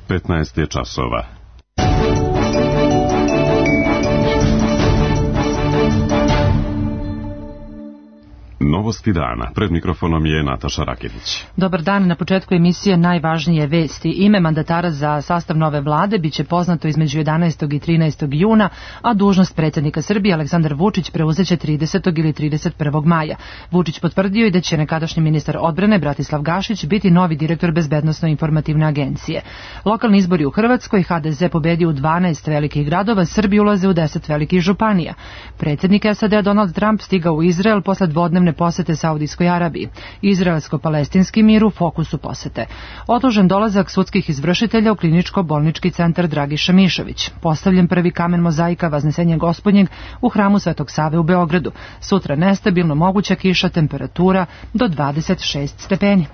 15 je časova. Novosti dana. Pred mikrofonom je Nataša Raketić. Dobar dan. Na početku emisije najvažnije vesti. Ime mandatara za sastav nove vlade biće poznato između 11. i 13. juna, a dužnost predsjednika Srbije Aleksandar Vučić preuzeće 30. ili 31. maja. Vučić potvrdio i da će nekadašnji ministar odbrane Bratislav Gašić biti novi direktor Bezbednosno-informativne agencije. Lokalni izbori u Hrvatskoj, HDZ pobedio u 12 velikih gradova, Srbi ulaze u 10 velikih županija. Predsjednik SAD Donald Trump stigao u Izrael posle dvodnevne posete Saudijskoj Arabiji. Izraelsko-palestinski mir u fokusu posete. Odložen dolazak sudskih izvršitelja u kliničko-bolnički centar Dragiša Mišović. Postavljen prvi kamen mozaika Vaznesenja Gospodnjeg u hramu Svetog Save u Beogradu. Sutra nestabilno moguća kiša, temperatura do 26 stepeni.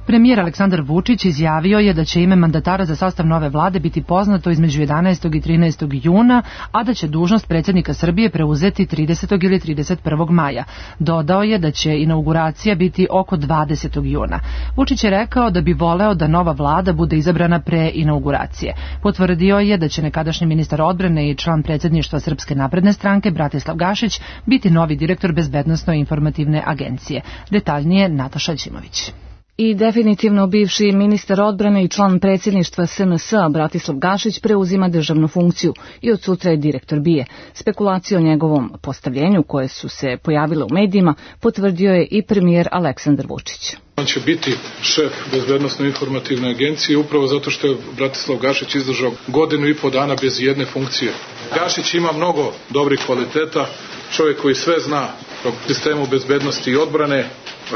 Premijer Aleksandar Vučić izjavio je da će ime mandatara za sastav nove vlade biti poznato između 11. i 13. juna, a da će dužnost predsjednika Srbije preuzeti 30. ili 31. maja. Dodao je da će inauguracija biti oko 20. juna. Vučić je rekao da bi voleo da nova vlada bude izabrana pre inauguracije. Potvrdio je da će nekadašnji ministar odbrane i član predsjedništva Srpske napredne stranke Bratislav Gašić biti novi direktor Bezbednosno-informativne agencije. Detaljnije Nataša Ćimović. I definitivno bivši ministar odbrane i član predsjedništva SNS Bratislav Gašić preuzima državnu funkciju i od sutra je direktor BIA. Spekulacije o njegovom postavljenju koje su se pojavile u medijima potvrdio je i premijer Aleksandar Vučić. On će biti šef Bezbednosno-informativne agencije upravo zato što je Bratislav Gašić izdržao 1,5 dana bez jedne funkcije. Gašić ima mnogo dobrih kvaliteta, čovjek koji sve zna o sistemu bezbednosti i odbrane,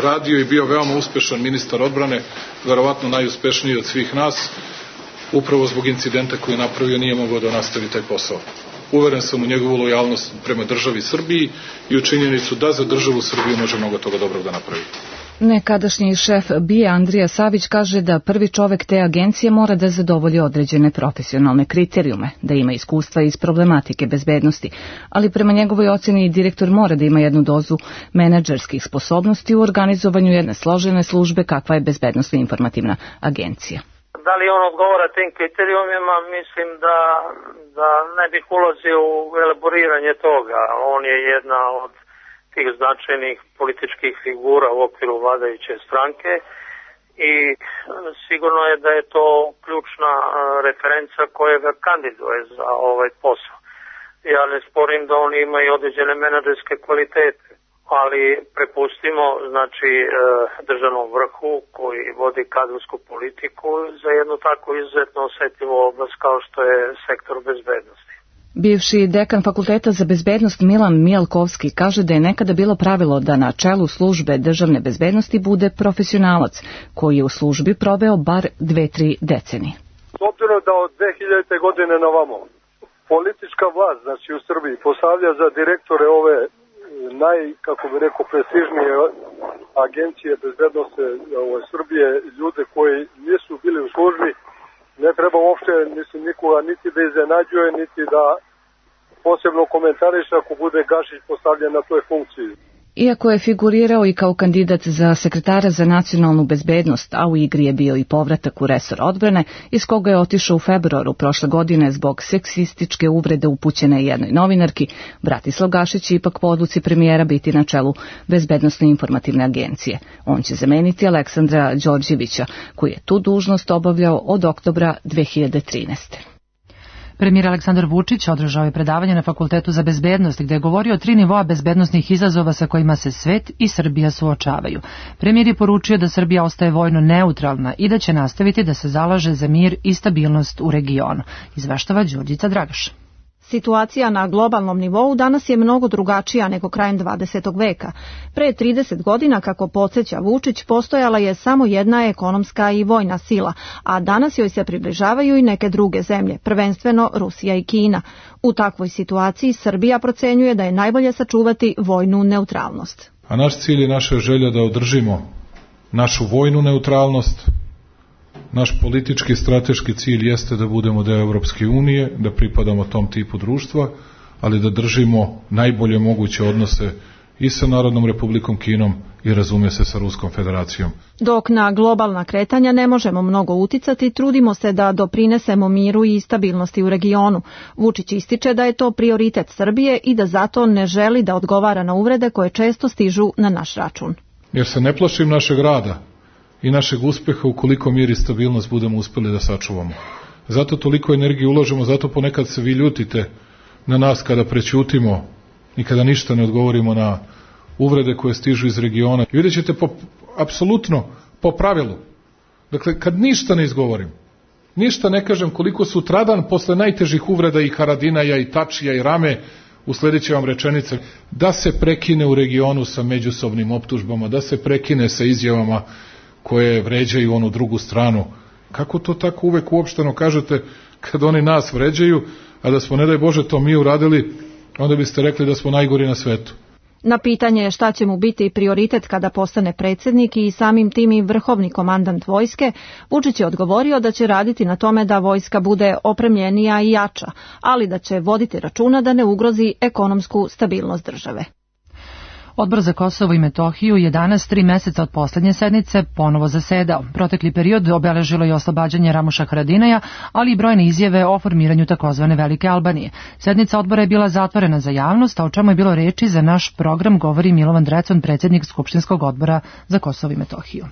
radio i bio veoma uspešan ministar odbrane, verovatno najuspešniji od svih nas, upravo zbog incidenta koji je napravio nije mogao da nastavi taj posao. Uveren sam u njegovu lojalnost prema državi Srbiji i u činjenicu da za državu Srbiju može mnogo toga dobrog da napravi. Nekadašnji šef BIA Andrija Savić kaže da prvi čovek te agencije mora da zadovolji određene profesionalne kriterijume, da ima iskustva iz problematike bezbednosti, ali prema njegovoj ocjeni direktor mora da ima jednu dozu menadžerskih sposobnosti u organizovanju jedne složene službe kakva je Bezbednosno-informativna agencija. Da li on odgovara tim kriterijumima, mislim da ne bih ulazio u elaboriranje toga. On je jedna od tih značajnih političkih figura u okviru vladajuće stranke i sigurno je da je to ključna referenca koja ga kandiduje za ovaj posao. Ja ne sporim da on ima i određene menadžerske kvalitete, ali prepustimo znači državnom vrhu koji vodi kadrovsku politiku za jednu tako izuzetno osetljivu oblast kao što je sektor bezbednosti. Bivši dekan Fakulteta za bezbednost Milan Mijalkovski kaže da je nekada bilo pravilo da na čelu službe državne bezbednosti bude profesionalac koji je u službi proveo bar 2-3 decenije. S obzirom da od 2000. godine na ovamo politička vlast znači u Srbiji postavlja za direktore ove prestižnije agencije bezbednosti Srbije ljude koji nisu bili u službi, ne treba uopšte nikoga niti da iznenađuje, niti da posebno komentariše ako bude Gašić postavljen na toj funkciji. Iako je figurirao i kao kandidat za sekretara za nacionalnu bezbednost, a u igri je bio i povratak u resor odbrane, iz koga je otišao u februaru prošle godine zbog seksističke uvrede upućene jednoj novinarki, Bratislav Gašić će ipak po odluci premijera biti na čelu Bezbednosno-informativne agencije. On će zameniti Aleksandra Đorđevića, koji je tu dužnost obavljao od oktobra 2013. Premijer Aleksandar Vučić održao je predavanje na Fakultetu za bezbednost gdje je govorio o 3 nivoa bezbednosnih izazova sa kojima se svet i Srbija suočavaju. Premijer je poručio da Srbija ostaje vojno neutralna i da će nastaviti da se zalaže za mir i stabilnost u regionu. Izveštava Đurđica Dragaš. Situacija na globalnom nivou danas je mnogo drugačija nego krajem 20. veka. Pre 30 godina, kako podsjeća Vučić, postojala je samo jedna ekonomska i vojna sila, a danas joj se približavaju i neke druge zemlje, prvenstveno Rusija i Kina. U takvoj situaciji Srbija procenjuje da je najbolje sačuvati vojnu neutralnost. A naš cilj i naša želja da održimo našu vojnu neutralnost. Naš politički i strateški cilj jeste da budemo deo Evropske unije, da pripadamo tom tipu društva, ali da držimo najbolje moguće odnose i sa Narodnom Republikom Kinom i razumije se sa Ruskom federacijom. Dok na globalna kretanja ne možemo mnogo uticati, trudimo se da doprinesemo miru i stabilnosti u regionu. Vučić ističe da je to prioritet Srbije i da zato ne želi da odgovara na uvrede koje često stižu na naš račun. Jer se ne plašim našeg rada i našeg uspeha ukoliko mir i stabilnost budemo uspeli da sačuvamo. Zato toliko energije ulažemo, zato ponekad se vi ljutite na nas kada prećutimo i kada ništa ne odgovorimo na uvrede koje stižu iz regiona. I vidjet ćete apsolutno po pravilu. Dakle, kad ništa ne izgovorim, ništa ne kažem, koliko sutradan posle najtežih uvreda i Haradinaja i Tačija i Rame usledit će vam rečenice da se prekine u regionu sa međusobnim optužbama, da se prekine sa izjavama koje vređaju onu drugu stranu. Kako to tako uvek uopšteno kažete kad oni nas vređaju, a da smo, ne daj Bože, to mi uradili, onda biste rekli da smo najgori na svetu. Na pitanje šta će mu biti prioritet kada postane predsjednik i samim tim i vrhovni komandant vojske, Vučić je odgovorio da će raditi na tome da vojska bude opremljenija i jača, ali da će voditi računa da ne ugrozi ekonomsku stabilnost države. Odbor za Kosovo i Metohiju je danas 3 meseca od poslednje sednice ponovo zasedao. Protekli period obeležilo je oslobađanje Ramuša Haradinaja, ali i brojne izjave o formiranju takozvane Velike Albanije. Sednica odbora je bila zatvorena za javnost, a o čemu je bilo reči za naš program govori Milovan Drecun, predsjednik Skupštinskog odbora za Kosovo i Metohiju.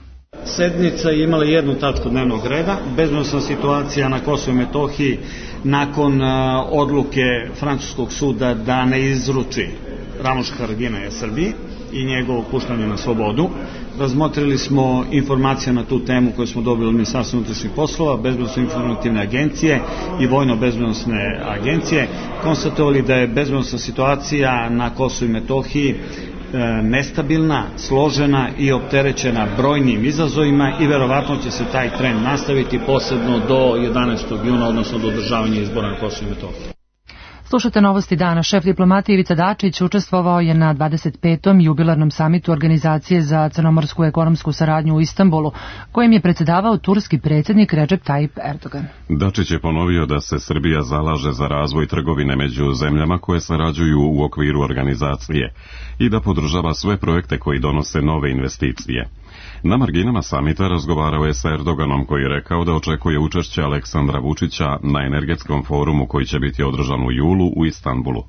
Sednica je imala jednu tačku dnevnog reda, bezbednosna situacija na Kosovu i Metohiji nakon odluke francuskog suda da ne izruči Ramuša Haradinaja Srbiji i njegovo puštanje na slobodu. Razmotrili smo informacije na tu temu koje smo dobili od Ministarstva unutrašnjih poslova, Bezbednosno-informativne agencije i Vojno-bezbednosne agencije. Konstatovali da je bezbednosna situacija na Kosovu i Metohiji nestabilna, složena i opterećena brojnim izazovima i verovatno će se taj trend nastaviti posebno do 11. juna, odnosno do održavanja izbora na Kosovu i Metohiji. Slušate Novosti dana. Šef diplomatije Ivica Dačić učestvovao je na 25. jubilarnom samitu Organizacije za crnomorsku ekonomsku saradnju u Istanbulu, kojim je predsjedavao turski predsjednik Recep Tayyip Erdogan. Dačić je ponovio da se Srbija zalaže za razvoj trgovine među zemljama koje sarađuju u okviru organizacije i da podržava sve projekte koji donose nove investicije. Na marginama samita razgovarao je sa Erdoganom, koji je rekao da očekuje učešće Aleksandra Vučića na energetskom forumu koji će biti održan u julu u Istanbulu.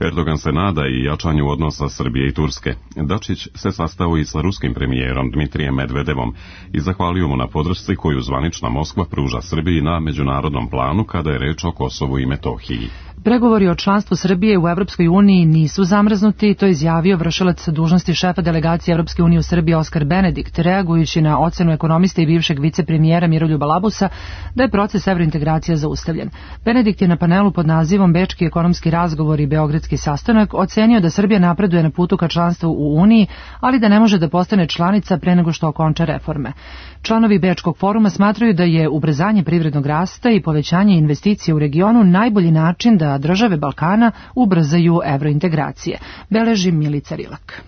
Erdogan se nada i jačanju odnosa Srbije i Turske. Dačić se sastao i sa ruskim premijerom Dmitrijem Medvedevom i zahvalio mu na podršci koju zvanična Moskva pruža Srbiji na međunarodnom planu kada je reč o Kosovu i Metohiji. Pregovori o članstvu Srbije u Evropskoj uniji nisu zamrznuti, to je izjavio vršilac dužnosti šefa delegacije Evropske unije u Srbiji Oskar Benedikt, reagujući na ocenu ekonomista i bivšeg vicepremijera Miroljuba Labusa da je proces evrointegracija zaustavljen. Benedikt je na panelu pod nazivom Bečki ekonomski razgovor i Beogradski sastanak ocenio da Srbija napreduje na putu ka članstvu u Uniji, ali da ne može da postane članica pre nego što okonča reforme. Članovi Bečkog foruma smatraju da je ubrzanje privrednog rasta i povećanje investicija u regionu najbolji način da države Balkana ubrzaju evrointegracije, beleži Milica Rilak.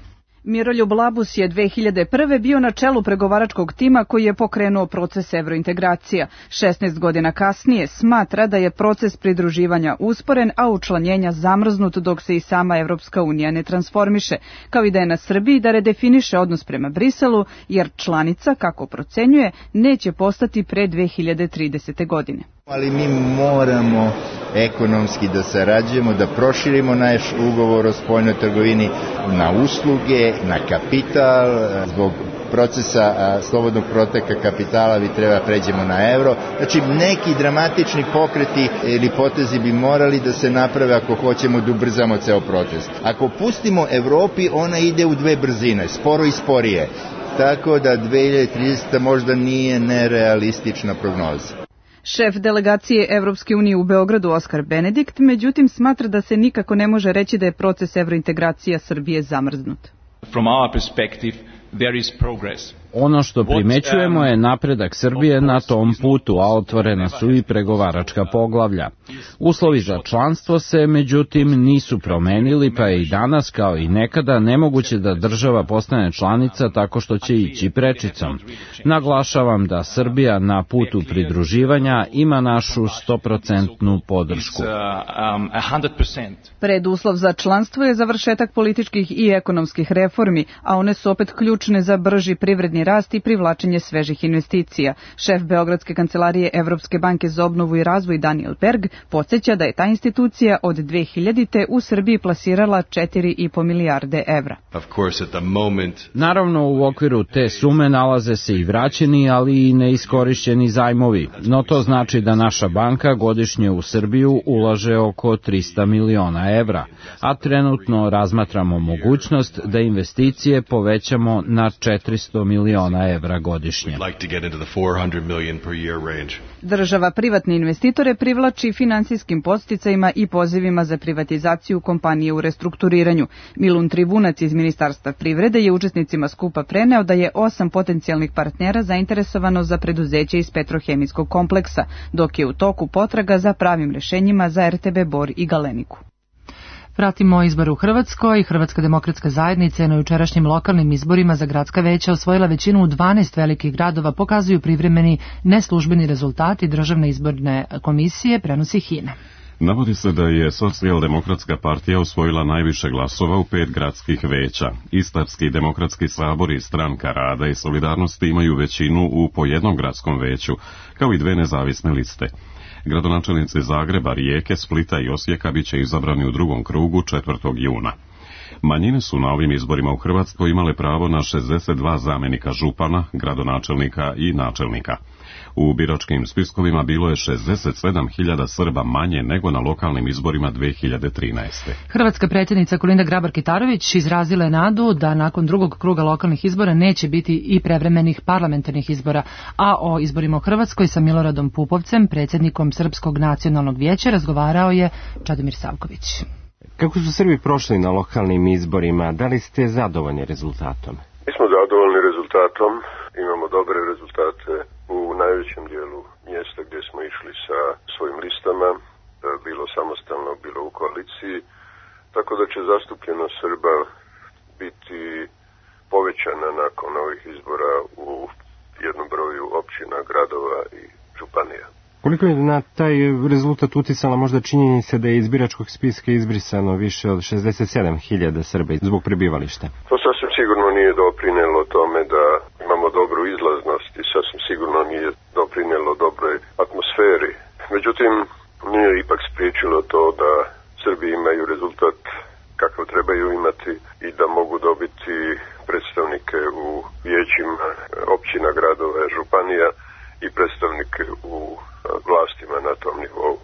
Miroljub Labus je 2001. bio na čelu pregovaračkog tima koji je pokrenuo proces evrointegracija. 16 godina kasnije smatra da je proces pridruživanja usporen, a učlanjenja zamrznut dok se i sama Evropska unija ne transformiše, kao i da je na Srbiji da redefiniše odnos prema Briselu, jer članica, kako procenjuje, neće postati pre 2030. godine. Ali mi moramo ekonomski da sarađujemo, da proširimo naš ugovor o spoljnoj trgovini na usluge, na kapital. Zbog procesa slobodnog proteka kapitala bi treba pređemo na euro. Znači neki dramatični pokreti ili potezi bi morali da se naprave ako hoćemo da ubrzamo ceo proces. Ako pustimo Evropi, ona ide u dve brzine, sporo i sporije. Tako da 2030 možda nije nerealistična prognoza. Šef delegacije Evropske unije u Beogradu Oskar Benedikt, međutim, smatra da se nikako ne može reći da je proces evrointegracija Srbije zamrznut. From our perspective, there is progress. Ono što primećujemo je napredak Srbije na tom putu, a otvorena su i pregovaračka poglavlja. Uslovi za članstvo se, međutim, nisu promenili, pa je i danas, kao i nekada, nemoguće da država postane članica tako što će ići prečicom. Naglašavam da Srbija na putu pridruživanja ima našu 100% podršku. Preduslov za članstvo je završetak političkih i ekonomskih reformi, a one su opet ključne za brži privredni rast i privlačenje svežih investicija. Šef Beogradske kancelarije Evropske banke za obnovu i razvoj Daniel Berg podsjeća da je ta institucija od 2000. u Srbiji plasirala 4,5 milijarde evra. Naravno, u okviru te sume nalaze se i vraćeni, ali i neiskorišćeni zajmovi, no to znači da naša banka godišnje u Srbiju ulaže oko 300 miliona evra, a trenutno razmatramo mogućnost da investicije povećamo na 400 miliona evra godišnje. Država privatne investitore privlači finansijskim podsticajima i pozivima za privatizaciju kompanije u restrukturiranju. Milun Trivunac iz Ministarstva privrede je učesnicima skupa preneo da je 8 potencijalnih partnera zainteresovano za preduzeće iz petrohemijskog kompleksa, dok je u toku potraga za pravim rešenjima za RTB Bor i Galeniku. Pratimo izbor u Hrvatskoj. Hrvatska demokratska zajednica je na jučerašnjim lokalnim izborima za gradska veća osvojila većinu u 12 velikih gradova, pokazuju privremeni neslužbeni rezultati Državne izborne komisije, prenosi HINA. Navodi se da je Socijaldemokratska partija osvojila najviše glasova u 5 gradskih veća. Istarski demokratski sabor i Stranka rada i solidarnosti imaju većinu u po jednom gradskom veću, kao i 2 nezavisne liste. Gradonačelnici Zagreba, Rijeke, Splita i Osijeka bit će izabrani u drugom krugu 4. juna. Manjine su na ovim izborima u Hrvatskoj imale pravo na 62 zamjenika župana, gradonačelnika i načelnika. U biračkim spiskovima bilo je 67.000 Srba manje nego na lokalnim izborima 2013. Hrvatska predsjednica Kolinda Grabar-Kitarović izrazila je nadu da nakon drugog kruga lokalnih izbora neće biti i prevremenih parlamentarnih izbora, a o izborima u Hrvatskoj sa Miloradom Pupovcem, predsjednikom Srpskog nacionalnog vijeća, razgovarao je Čadomir Savković. Kako su Srbi prošli na lokalnim izborima? Da li ste zadovoljni rezultatom? Mi smo zadovoljni rezultatom. Imamo dobre rezultate u najvećem dijelu mjesta gdje smo išli sa svojim listama, bilo samostalno, bilo u koaliciji, tako da će zastupljenost Srba biti povećana nakon ovih izbora u jednom broju općina, gradova i županija. Koliko je na taj rezultat uticala možda činjenica da je iz biračkog spiska izbrisano više od 67.000 Srba zbog prebivališta? To sasvim sigurno nije doprinelo tome da imamo dobru izlaznost i sasvim sigurno nije doprinelo dobroj atmosferi. Međutim, nije ipak spriječilo to da Srbi imaju rezultat kakav trebaju imati i da mogu dobiti predstavnike u vijećima općina, gradova, županija i predstavnike u vlastima na tom nivou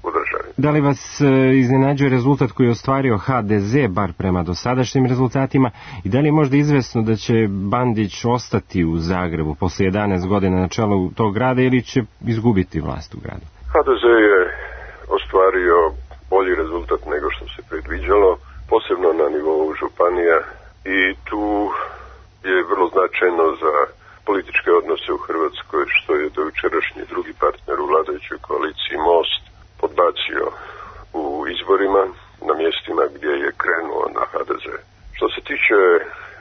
u državi. Da li vas iznenađuje rezultat koji je ostvario HDZ, bar prema dosadašnjim rezultatima, i da li je možda izvesno da će Bandić ostati u Zagrebu posle 11 godina na čelu tog grada ili će izgubiti vlast u gradu? HDZ je ostvario bolji rezultat nego što se predviđalo, posebno na nivou županija, i tu je vrlo značajno za političke odnose u Hrvatskoj što je dojučerašnji drugi partner u vladajućoj koaliciji Most podbacio u izborima na mjestima gdje je krenuo na HDZ. Što se tiče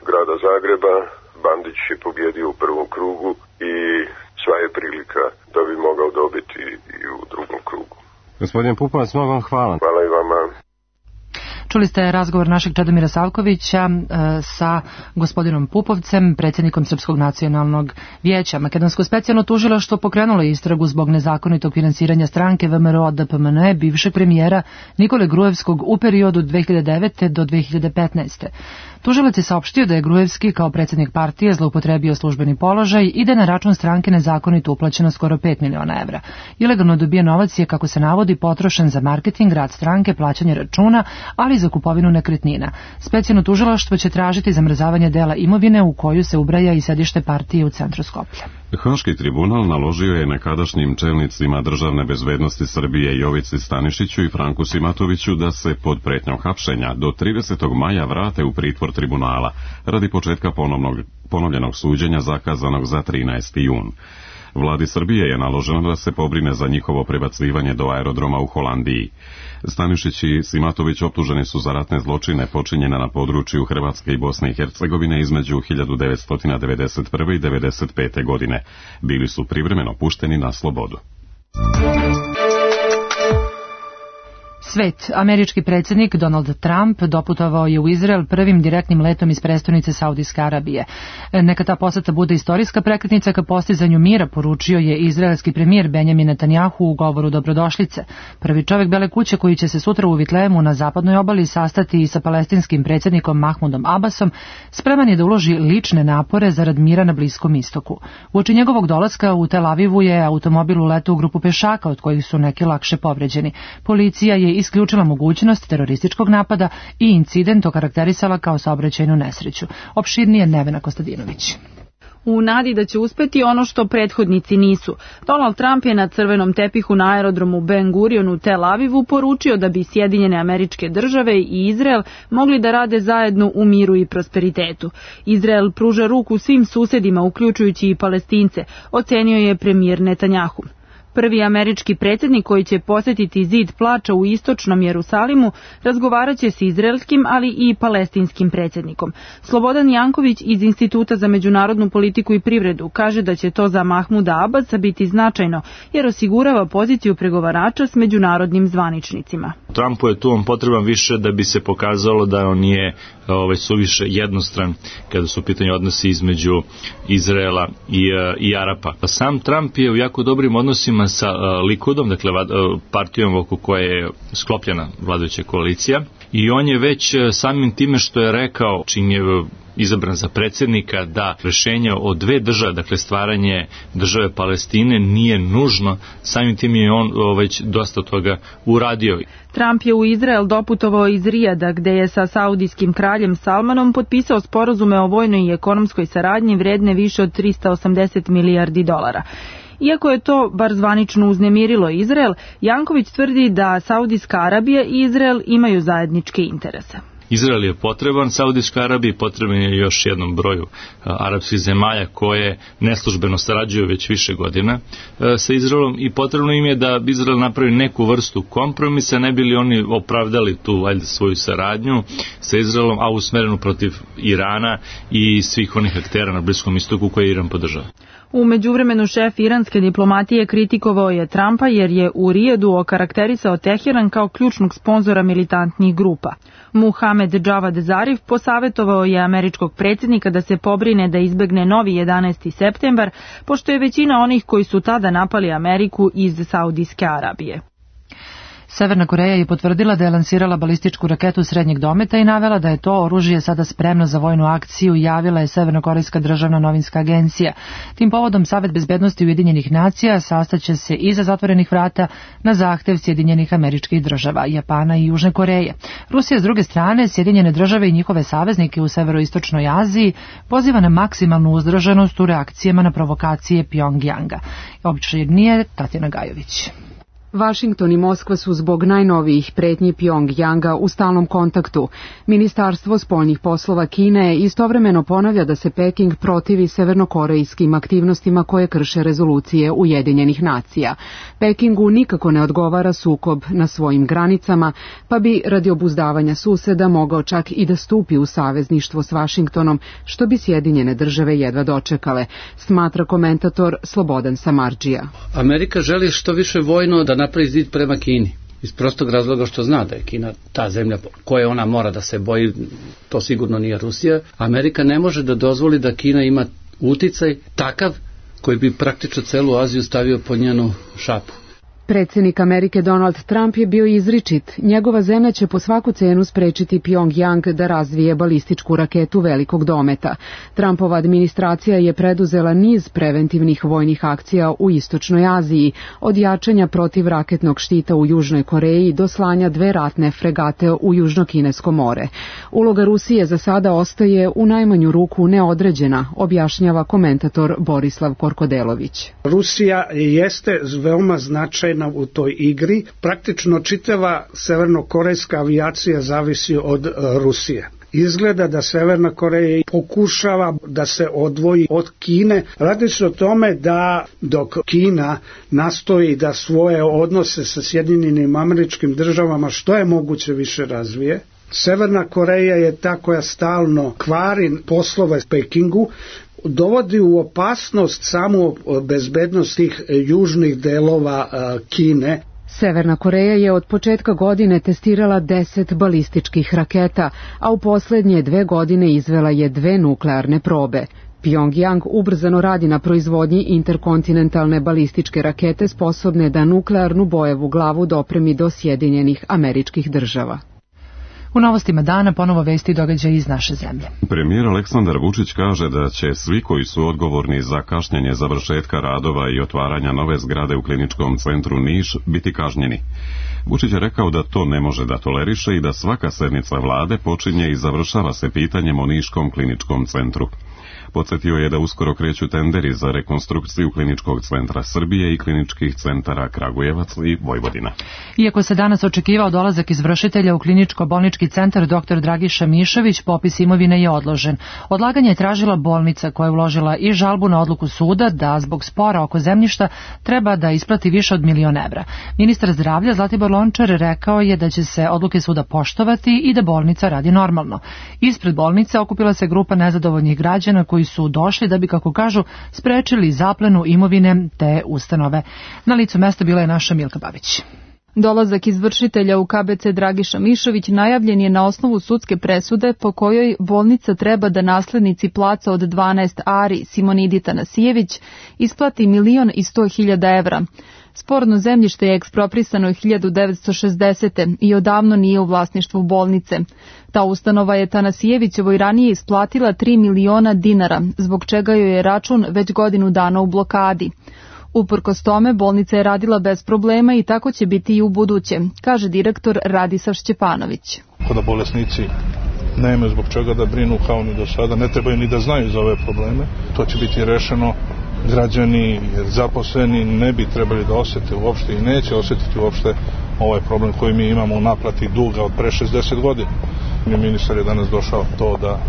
grada Zagreba, Bandić je pobjedio u prvom krugu i sva je prilika da bi mogao dobiti i u drugom krugu. Gospodin Pupovac, mnogo vam hvala. Hvala i vama. Čuli ste razgovor našeg Čadomira Savkovića sa gospodinom Pupovcem, predsjednikom Srpskog nacionalnog vijeća. Makedonsko specijalno tužilaštvo pokrenulo je istragu zbog nezakonitog finansiranja stranke VMRO-DPMNE bivšeg premijera Nikole Gruevskog u periodu 2009. do 2015. Tužilac je saopštio da je Gruevski kao predsjednik partije zloupotrebio službeni položaj i da je na račun stranke nezakonito uplaćeno skoro 5 miliona evra. Ilegalno dobijen novac je, kako se navodi, potrošen za marketing, rad stranke, plaćanje računa, ali i za za kupovinu nekretnina. Specijalno tužilaštvo će tražiti zamrzavanje dela imovine u koju se ubraja i sedište partije u centru Skoplja. Haški tribunal naložio je nekadašnjim čelnicima državne bezbednosti Srbije Jovici Stanišiću i Franku Simatoviću da se pod pretnjom hapšenja do 30. maja vrate u pritvor tribunala radi početka ponovljenog suđenja zakazanog za 13. jun. Vladi Srbije je naloženo da se pobrine za njihovo prebacivanje do aerodroma u Holandiji. Stanišić i Simatović optuženi su za ratne zločine počinjene na području Hrvatske i Bosne i Hercegovine između 1991. i 1995. godine. Bili su privremeno pušteni na slobodu. Svet. Američki predsjednik Donald Trump doputovao je u Izrael prvim direktnim letom iz prestonice Saudijske Arabije. Neka ta poseta bude istorijska prekretnica ka postizanju mira, poručio je izraelski premijer Benjamin Netanjahu u govoru dobrodošlice. Prvi čovjek Bele kuće koji će se sutra u Vitlejemu na zapadnoj obali sastati i sa palestinskim predsjednikom Mahmudom Abbasom, spreman je da uloži lične napore zarad mira na Bliskom istoku. Uoči njegovog dolaska u Tel Avivu je automobil uletao u grupu pešaka, od kojih su neki lakše povređeni. Policija je isključila mogućnost terorističkog napada i incident okarakterisala kao saobraćajnu nesreću. Opširnije Nevena Kostadinović. U nadi da će uspeti ono što prethodnici nisu. Donald Trump je na crvenom tepihu na aerodromu Ben Gurion u Tel Avivu poručio da bi Sjedinjene Američke Države i Izrael mogli da rade zajedno u miru i prosperitetu. Izrael pruža ruku svim susedima, uključujući i Palestince, ocenio je premijer Netanjahu. Prvi američki predsjednik koji će posjetiti zid plača u istočnom Jerusalimu razgovarat će s izraelskim, ali i palestinskim predsjednikom. Slobodan Janković iz Instituta za međunarodnu politiku i privredu kaže da će to za Mahmuda Abbasa biti značajno, jer osigurava poziciju pregovarača s međunarodnim zvaničnicima. Trumpu je tu on potreban više da bi se pokazalo da on nije suviše jednostran kada su u pitanju odnosi između Izraela i Arapa. Sam Trump je u jako dobrim odnosima sa Likudom, dakle partijom oko koje je sklopljena vladajuća koalicija, i on je već samim time što je rekao, čim je izabran za predsjednika, da rešenje o dve države, dakle stvaranje države Palestine, nije nužno, samim tim je on već dosta toga uradio. Trump je u Izrael doputovao iz Rijada, gde je sa saudijskim kraljem Salmanom potpisao sporazume o vojnoj i ekonomskoj saradnji vredne više od 380 milijardi dolara. Iako je to bar zvanično uznemirilo Izrael, Janković tvrdi da Saudijska Arabija i Izrael imaju zajedničke interese. Izrael je potreban Saudijskoj Arabiji, potreban je još jednom broju arapskih zemalja koje neslužbeno sarađuju već više godina sa Izraelom, i potrebno im je da Izrael napravi neku vrstu kompromisa, ne bi li oni opravdali tu svoju saradnju sa Izraelom, a usmerenu protiv Irana i svih onih aktera na Bliskom istoku koje Iran podržava. U međuvremenu šef iranske diplomatije kritikovao je Trumpa jer je u Rijadu okarakterisao Teheran kao ključnog sponzora militantnih grupa. Muhamed Javad Zarif posavetovao je američkog predsjednika da se pobrine da izbegne novi 11. septembar, pošto je većina onih koji su tada napali Ameriku iz Saudijske Arabije. Severna Koreja je potvrdila da je lansirala balističku raketu srednjeg dometa i navela da je to oružje sada spremno za vojnu akciju, javila je Severnokorejska državna novinska agencija. Tim povodom Savet bezbednosti Ujedinjenih nacija sastaće se iza zatvorenih vrata na zahtev Sjedinjenih Američkih Država, Japana i Južne Koreje. Rusija s druge strane, Sjedinjene Države i njihove saveznike u severoistočnoj Aziji poziva na maksimalnu uzdržanost u reakcijama na provokacije Pjongjanga. Opširnije Tatjana Gajović. Vašington i Moskva su zbog najnovijih pretnji Pjongjanga u stalnom kontaktu. Ministarstvo spoljnih poslova Kine istovremeno ponavlja da se Peking protivi severnokorejskim aktivnostima koje krše rezolucije Ujedinjenih nacija. Pekingu nikako ne odgovara sukob na svojim granicama, pa bi radi obuzdavanja suseda mogao čak i da stupi u savezništvo s Vašingtonom, što bi Sjedinjene Države jedva dočekale, smatra komentator Slobodan Samardžija. Amerika želi što više vojno da napravi zid prema Kini, iz prostog razloga što zna da je Kina ta zemlja koje ona mora da se boji, to sigurno nije Rusija. Amerika ne može da dozvoli da Kina ima uticaj takav koji bi praktično celu Aziju stavio pod njenu šapu. Predsjednik Amerike Donald Trump je bio izričit. Njegova zemlja će po svaku cenu sprečiti Pyongyang da razvije balističku raketu velikog dometa. Trumpova administracija je preduzela niz preventivnih vojnih akcija u Istočnoj Aziji, od jačanja protivraketnog štita u Južnoj Koreji do slanja 2 ratne fregate u Južno-Kinesko more. Uloga Rusije za sada ostaje u najmanju ruku neodređena, objašnjava komentator Borislav Korkodelović. Rusija jeste veoma značajna u toj igri. Praktično čitava severnokorejska avijacija zavisi od Rusije. Izgleda da Severna Koreja pokušava da se odvoji od Kine. Radi se o tome da dok Kina nastoji da svoje odnose sa Sjedinjenim Američkim Državama što je moguće više razvije, Severna Koreja je ta koja stalno kvari poslove s Pekingu, dovodi u opasnost samu bezbednost tih južnih delova Kine. Severna Koreja je od početka godine testirala 10 balističkih raketa, a u posljednje 2 godine izvela je 2 nuklearne probe. Pyongyang ubrzano radi na proizvodnji interkontinentalne balističke rakete sposobne da nuklearnu bojevu glavu dopremi do Sjedinjenih Američkih Država. U novostima dana ponovo vesti događaja iz naše zemlje. Premijer Aleksandar Vučić kaže da će svi koji su odgovorni za kašnjenje završetka radova i otvaranja nove zgrade u kliničkom centru Niš biti kažnjeni. Vučić je rekao da to ne može da toleriše i da svaka sednica vlade počinje i završava se pitanjem o Niškom kliničkom centru. Podsjetio je da uskoro kreću tenderi za rekonstrukciju kliničkog centra Srbije i kliničkih centara Kragujevac i Vojvodina. Iako se danas očekivao dolazak izvršitelja u kliničko-bolnički centar dr. Dragiša Mišović, popis imovine je odložen. Odlaganje je tražila bolnica koja je uložila i žalbu na odluku suda da zbog spora oko zemljišta treba da isplati više od 1.000.000 evra. Ministar zdravlja Zlatibor Lončar rekao je da će se odluke suda poštovati i da bolnica radi normalno. Ispred bolnice okupila se grupa nezadovoljnih građana koji su došli da bi, kako kažu, sprečili zaplenu imovine te ustanove. Na licu mesta bila je naša Milka Babić. Dolazak izvršitelja u KBC Dragiša Mišović najavljen je na osnovu sudske presude po kojoj bolnica treba da naslednici placa od 12 ari Simonidi Tanasijević isplati 1.100.000 evra. Sporno zemljište je eksproprisano 1960. i odavno nije u vlasništvu bolnice. Ta ustanova je Tanasijevićevoj ranije isplatila 3 miliona dinara, zbog čega joj je račun već godinu dana u blokadi. Uprkos tome, bolnica je radila bez problema i tako će biti i u buduće, kaže direktor Radisav Šćepanović. Kada bolesnici nemaju zbog čega da brinu kao ni do sada, ne trebaju ni da znaju za ove probleme, to će biti rešeno. Građani zaposleni ne bi trebali da osjete uopšte i neće osjetiti uopšte ovaj problem koji mi imamo u naplati duga od pre 60 godina. Ministar je danas došao to da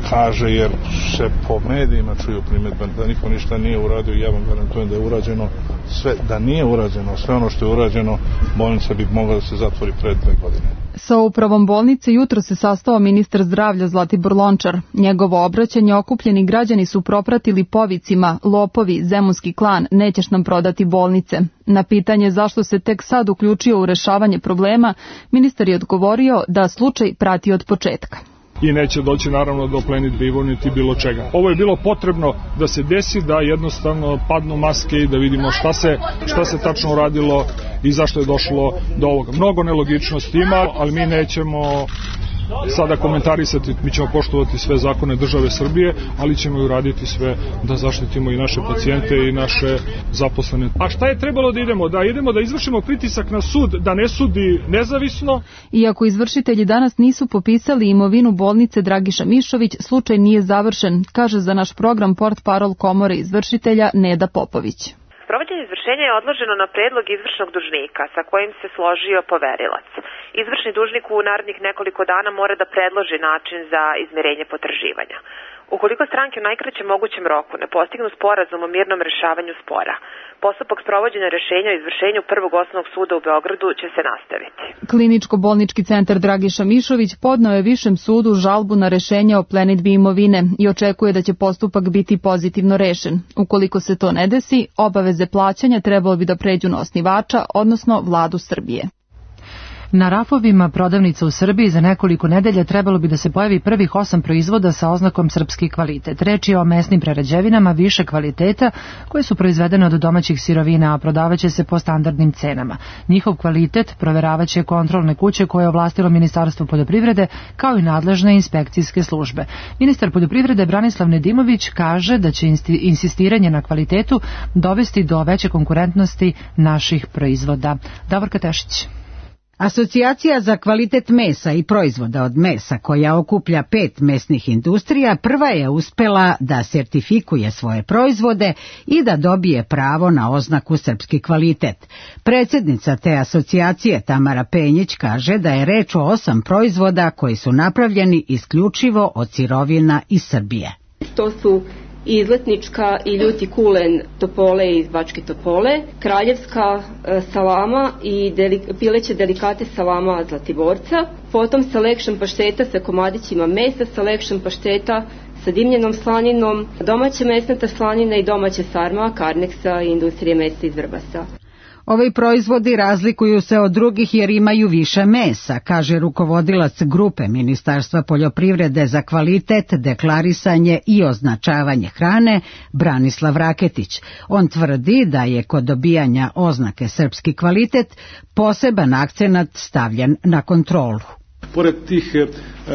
kaže, jer se po medijima čuju primjedbe da niko ništa nije uradio i ja vam garantujem da je urađeno sve, da nije urađeno sve ono što je urađeno, bolnica bi mogla da se zatvori pred 2 godine. Sa upravom bolnice jutro se sastao ministar zdravlja Zlatibor Lončar. Njegovo obraćanje okupljeni građani su propratili povicima: lopovi, zemunski klan, nećeš nam prodati bolnice. Na pitanje zašto se tek sad uključio u rešavanje problema, ministar je odgovorio da slučaj prati od početka. I neće doći naravno do plenitbe niti bilo čega. Ovo je bilo potrebno da se desi, da jednostavno padnu maske i da vidimo šta se tačno uradilo i zašto je došlo do ovoga. Mnogo nelogičnosti ima, ali mi nećemo sada komentarisati, mi ćemo poštovati sve zakone države Srbije, ali ćemo i uraditi sve da zaštitimo i naše pacijente i naše zaposlene. A šta je trebalo da idemo? Da idemo da izvršimo pritisak na sud, da ne sudi nezavisno. Iako izvršitelji danas nisu popisali imovinu bolnice Dragiša Mišović, slučaj nije završen, kaže za naš program portparol Komore izvršitelja Neda Popović. Sprovođenje izvršenja je odloženo na predlog izvršnog dužnika sa kojim se složio poverilac. Izvršni dužnik u narednih nekoliko dana mora da predloži način za izmirenje potraživanja. Ukoliko stranke u najkraćem mogućem roku ne postignu sporazum o mirnom rešavanju spora, postupak sprovođenja rešenja o izvršenju Prvog osnovnog suda u Beogradu će se nastaviti. Kliničko-bolnički centar Dragiša Mišović podneo je Višem sudu žalbu na rešenje o plenidbi imovine i očekuje da će postupak biti pozitivno rešen. Ukoliko se to ne desi, obaveze plaćanja trebalo bi da pređu na osnivača, odnosno vladu Srbije. Na rafovima prodavnica u Srbiji za nekoliko nedelja trebalo bi da se pojavi prvih 8 proizvoda sa oznakom srpski kvalitet. Reč je o mesnim prerađevinama više kvaliteta koje su proizvedene od domaćih sirovina, a prodavaće se po standardnim cenama. Njihov kvalitet proveravaće kontrolne kuće koje je ovlastilo Ministarstvo poljoprivrede kao i nadležne inspekcijske službe. Ministar poljoprivrede Branislav Nedimović kaže da će insistiranje na kvalitetu dovesti do veće konkurentnosti naših proizvoda. Davorka Tešić. Asocijacija za kvalitet mesa i proizvoda od mesa, koja okuplja 5 mesnih industrija, prva je uspela da sertifikuje svoje proizvode i da dobije pravo na oznaku srpski kvalitet. Predsjednica te asocijacije Tamara Penjić kaže da je reč o 8 proizvoda koji su napravljeni isključivo od sirovina iz Srbije. To su izletnička i ljuti kulen Topole iz Bačke Topole, kraljevska salama i pileće delikate salama Zlatiborca, potom selection pašteta sa komadićima mesa, selection pašteta sa dimljenom slaninom, domaća mesnata slanina i domaća sarma Karneksa i industrije mesa iz Vrbasa. Ovi proizvodi razlikuju se od drugih jer imaju više mesa, kaže rukovodilac grupe Ministarstva poljoprivrede za kvalitet, deklarisanje i označavanje hrane Branislav Raketić. On tvrdi da je kod dobijanja oznake srpski kvalitet poseban akcenat stavljen na kontrolu. Pored tih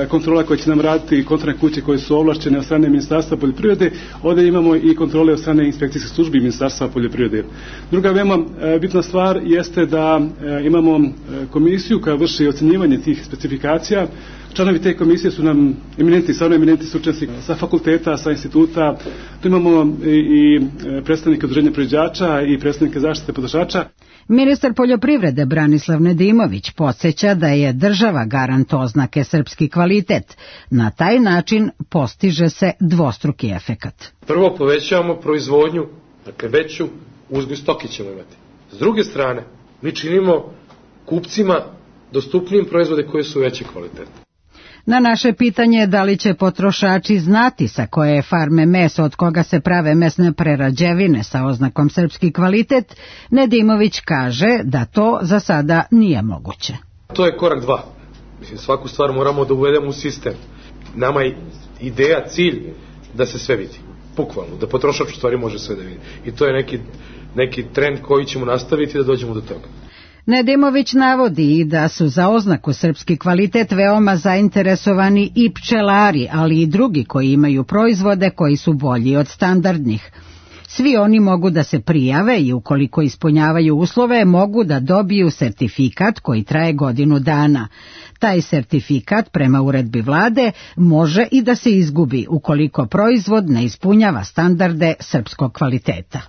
kontrola koje će nam raditi kontrolne kuće koje su ovlašćene od strane Ministarstva poljoprivrede, ovdje imamo i kontrole od strane inspekcijskih službi Ministarstva poljoprivrede. Druga veoma bitna stvar jeste da imamo komisiju koja vrši ocjenjivanje tih specifikacija. Članovi te komisije su nam stvarno eminentni stručnjaci sa fakulteta, sa instituta. Tu imamo i predstavnike udruženja proizvođača i predstavnike zaštite potrošača. Ministar poljoprivrede Branislav Nedimović podsjeća da je država garant oznake srpski kvalitet. Na taj način postiže se dvostruki efekat. Prvo povećavamo proizvodnju, dakle veću uzgoj stoke ćemo imati. S druge strane, mi činimo kupcima dostupnijim proizvode koji su veće kvalitete. Na naše pitanje da li će potrošači znati sa koje je farme meso od koga se prave mesne prerađevine sa oznakom srpski kvalitet, Nedimović kaže da to za sada nije moguće. To je korak 2. Mislim, svaku stvar moramo da uvedemo u sistem. Nama je ideja, cilj da se sve vidi. Bukvalno, da potrošač u stvari može sve da vidi. I to je neki trend koji ćemo nastaviti da dođemo do toga. Nedimović navodi i da su za oznaku srpski kvalitet veoma zainteresovani i pčelari, ali i drugi koji imaju proizvode koji su bolji od standardnih. Svi oni mogu da se prijave i ukoliko ispunjavaju uslove mogu da dobiju sertifikat koji traje godinu dana. Taj sertifikat prema uredbi vlade može i da se izgubi ukoliko proizvod ne ispunjava standarde srpskog kvaliteta.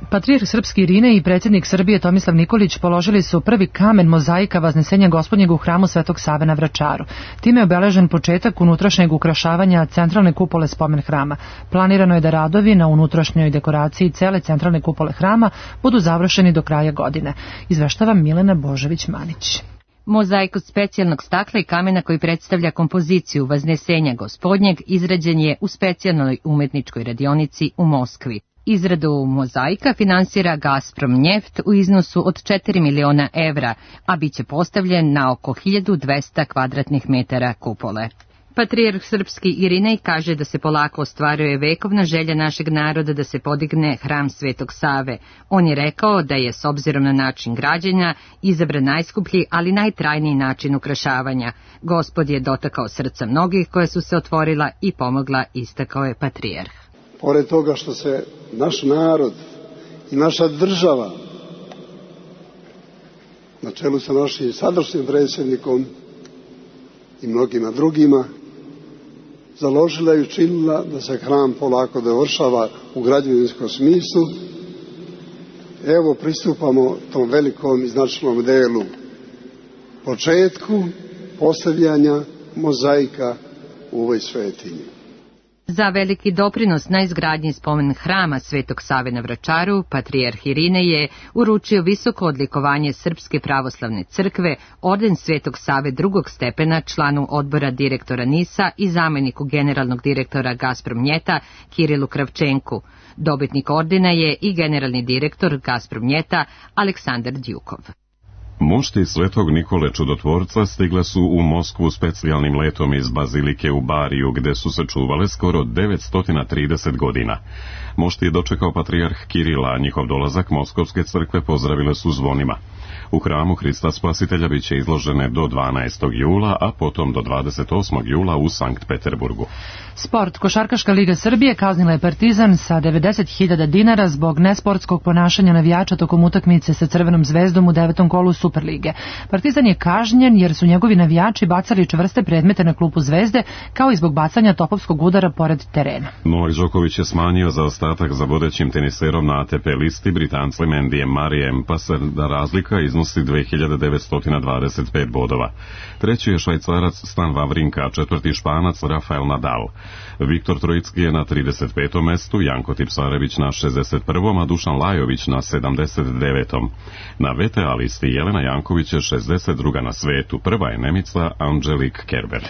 Patrijarh srpski Irine i predsjednik Srbije Tomislav Nikolić položili su prvi kamen mozaika Vaznesenja Gospodnjeg u hramu Svetog Save na Vračaru. Time je obeležen početak unutrašnjeg ukrašavanja centralne kupole spomen hrama. Planirano je da radovi na unutrašnjoj dekoraciji cele centralne kupole hrama budu završeni do kraja godine. Izveštava Milena Božević-Manić. Mozaik od specijalnog stakla i kamena koji predstavlja kompoziciju Vaznesenja Gospodnjeg izrađen je u specijalnoj umetničkoj radionici u Moskvi. Izradu mozaika finansira Gazprom Njeft u iznosu od 4 miliona evra, a bit će postavljen na oko 1200 kvadratnih metara kupole. Patrijarh srpski Irinej kaže da se polako ostvaruje vekovna želja našeg naroda da se podigne hram Svetog Save. On je rekao da je s obzirom na način građenja izabran najskuplji, ali najtrajniji način ukrašavanja. Gospod je dotakao srca mnogih koja su se otvorila i pomogla, istakao je patrijarh. Pored toga što se naš narod i naša država na čelu sa našim sadašnjim predsjednikom i mnogima drugima založila i učinila da se hram polako dovršava u građevinskom smislu, evo pristupamo tom velikom i značajnom delu, početku postavljanja mozaika u ovoj svetinji. Za veliki doprinos na izgradnji spomen hrama Svetog Save na Vračaru, patrijarh Irinej uručio visoko odlikovanje Srpske pravoslavne crkve, orden Svetog Save drugog stepena članu odbora direktora NIS-a i zameniku generalnog direktora Gazprom Njeta Kirilu Kravčenku. Dobitnik ordena je i generalni direktor Gazprom Njeta Aleksandar Djukov. Mošti Svetog Nikole Čudotvorca stigle su u Moskvu specijalnim letom iz bazilike u Bariju, gde su se čuvale skoro 930 godina. Mošti je dočekao patrijarh Kirila, a njihov dolazak Moskovske crkve pozdravile su zvonima. U hramu Hrista Spasitelja biće izložene do 12. jula, a potom do 28. jula u Sankt Peterburgu. Sport. Košarkaška liga Srbije kaznila je Partizan sa 90.000 dinara zbog nesportskog ponašanja navijača tokom utakmice sa Crvenom zvezdom u 9. kolu Superlige. Partizan je kažnjen jer su njegovi navijači bacali čvrste predmete na klupu Zvezde, kao i zbog bacanja topovskog udara pored terena. Novak Đoković je smanjio zaostatak za vodećim teniserom na ATP listi Britancem Andyjem Murrayem, pa se da razlika iznosi 2925 bodova. Treći je Švajcarac Stan Wawrinka, a četvrti Španac Rafael Nadal. Viktor Trojicki je na 35. mestu, Janko Tipsarević na 61. a Dušan Lajović na 79. Na VTA listi Jelena Janković je 62. na svetu, prva je Nemica Angelique Kerber.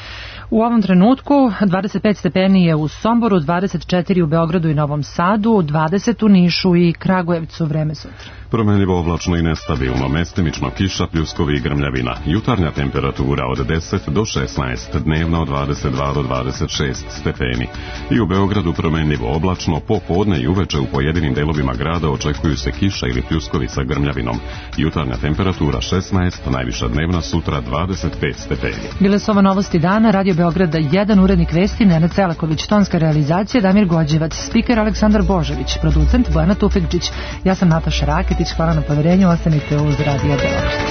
U ovom trenutku 25 stepeni je u Somboru, 24 u Beogradu i Novom Sadu, 20 u Nišu i Kragujevcu. Vreme sutra. Promenljivo oblačno i nestabilno, mestimično kiša, pljuskovi i grmljavina. Jutarnja temperatura od 10 do 16, dnevna od 22 do 26 stepeni. I u Beogradu promenljivo oblačno, popodne i uveče u pojedinim delovima grada očekuju se kiša ili pljuskovi sa grmljavinom. Jutarnja temperatura 16, najviša dnevna sutra 25 stepeni. Bile su ovo novosti dana, Radio Beograda 1, urednik vesti Nenad Celaković, tonska realizacija Damir Gođevac, spiker Aleksandar Božović, producent Bojana Tufekđić. Ja sam Nataša Raketić, hvala na poverenju, ostanite uz Radio Beograd.